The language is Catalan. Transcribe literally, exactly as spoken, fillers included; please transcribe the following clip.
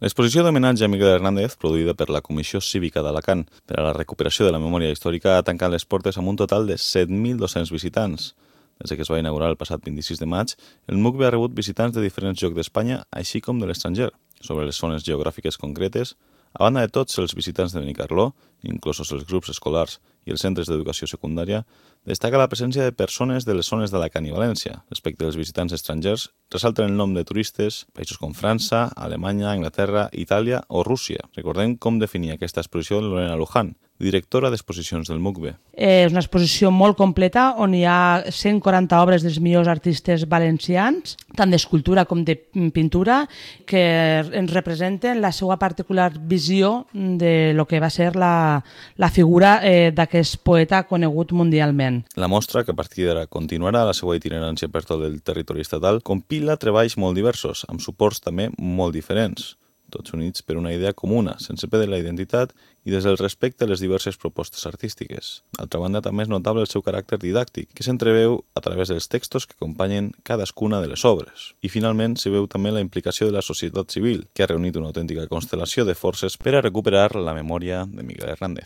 L'exposició d'homenatge a Miguel Hernández, produïda per la Comissió Cívica d'Alacant per a la recuperació de la memòria històrica, ha tancat les portes amb un total de set mil dos-cents visitants. Des que es va inaugurar el passat vint-i-sis de maig, el M U C B ha rebut visitants de diferents llocs d'Espanya, així com de l'estranger. Sobre les zones geogràfiques concretes, a banda de tots els visitants de Benicarló, inclosos els grups escolars i els centres d'educació secundària, destaca la presència de persones de les zones d'Alacant i València. Respecte als visitants estrangers, ressalten el nom de turistes, països com França, Alemanya, Anglaterra, Itàlia o Rússia. Recordem com definia aquesta exposició Lorena Luján, directora d'exposicions del M U C B. És una exposició molt completa on hi ha cent quaranta obres dels millors artistes valencians, tant d'escultura com de pintura, que ens representen la seva particular visió de lo que va ser la, la figura eh, d'aquest poeta conegut mundialment. La mostra, que a partir d'ara continuarà la seva itinerància per tot el territori estatal, compila treballs molt diversos, amb suports també molt diferents, tots units per una idea comuna, sense perdre la identitat i des del respecte a les diverses propostes artístiques. D'altra banda, també és notable el seu caràcter didàctic, que s'entreveu a través dels textos que acompanyen cadascuna de les obres. I finalment s'hi veu també la implicació de la societat civil, que ha reunit una autèntica constel·lació de forces per a recuperar la memòria de Miguel Hernández.